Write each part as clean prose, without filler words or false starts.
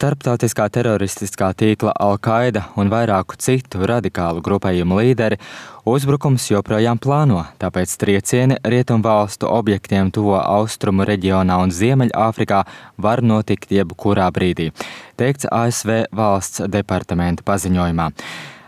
Starptautiskā teroristiskā tīkla Al-Qaida un vairāku citu radikālu grupējumu līderi uzbrukums joprojām plāno, tāpēc triecieni rietumvalstu objektiem tuvo austrumu reģionā un Ziemeļāfrikā var notikt jebkurā brīdī, teikts ASV valsts departamenta paziņojumā.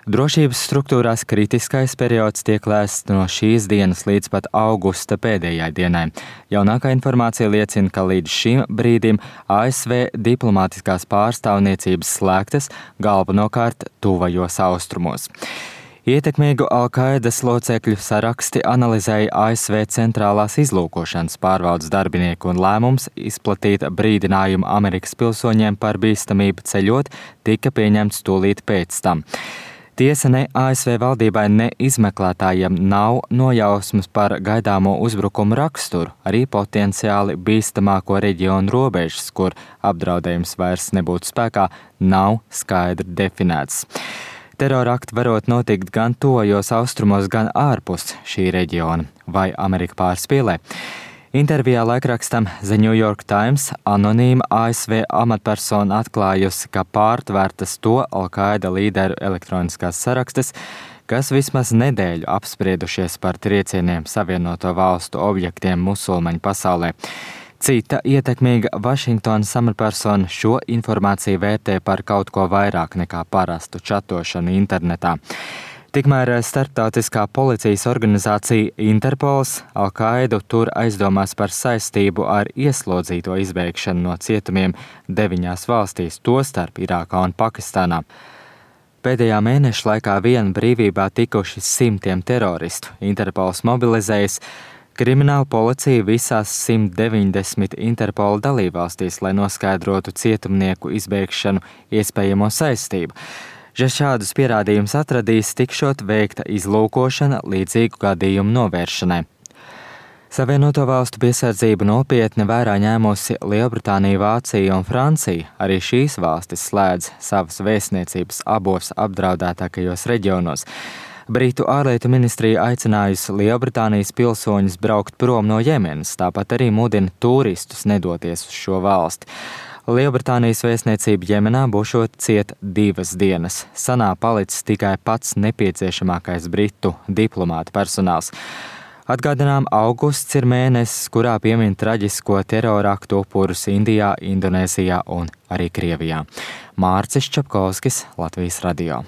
Drošības struktūrās kritiskais periods tiek lēsts no šīs dienas līdz pat augusta pēdējai dienai. Jaunākā informācija liecina, ka līdz šim brīdim ASV diplomātiskās pārstāvniecības slēgtas galvenokārt tuvajos austrumos. Ietekmīgu Al-Qaidas locekļu saraksti analizēja ASV centrālās izlūkošanas pārvaldes darbinieki un lēmums izplatīt brīdinājumu Amerikas pilsoņiem par bīstamību ceļot tika pieņemts tūlīt pēc tam. Tiesa ne ASV valdībai, ne izmeklētājiem nav nojausmas par gaidāmo uzbrukumu raksturu, arī potenciāli bīstamāko reģionu robežas, kur apdraudējums vairs nebūtu spēkā, nav skaidri definēts. Terorakti varot notikt gan tuvajos austrumos, gan ārpus šī reģiona, vai Amerika pārspīlē. Intervijā laikrakstam The New York Times anonīma ASV amatpersona atklājusi, ka pārtvērtas to Al-Qaida līderu elektroniskās sarakstes, kas vismaz nedēļu apspriedušies par triecieniem Savienoto valstu objektiem musulmaņu pasaulē. Cita ietekmīga Vašingtonas amatpersona šo informāciju vērtē par kaut ko vairāk nekā parastu čatošanu internetā. Tikmēr starptautiskā policijas organizācija Interpols Al-Qaidu tur aizdomās par saistību ar ieslodzīto izbēgšanu no cietumiem 9 valstīs, tostarp Irākā un Pakistānā. Pēdējā mēneša laikā vien brīvībā tikuši simtiem teroristu. Interpols mobilizējas krimināla policija visās 190 Interpola dalībvalstīs, lai noskaidrotu cietumnieku izbēgšanu iespējamo saistību. Ja šādus pierādījumus atradīs, tikšot veikta izlūkošana līdzīgu gadījumu novēršanai. Savienoto valstu piesardzību nopietni vērā ņēmusi Lielbritānija, Vācija un Francija. Arī šīs valstis slēdz savas vēstniecības abos apdraudētākajos reģionos. Britu ārlietu ministrija aicinājusi Lielbritānijas pilsoņus braukt prom no Jemenas, tāpat arī mudina turistus nedoties uz šo valsti. Lielbritānijas vēstniecība Jemenā būšot ciet 2 dienas. Sanā palicis tikai pats nepieciešamākais britu diplomāta personāls. Atgādinām, augusts ir mēnesis, kurā piemin traģisko teroraktu upurus Indijā, Indonēzijā un arī Krievijā. Mārcis Čapkovskis, Latvijas radio.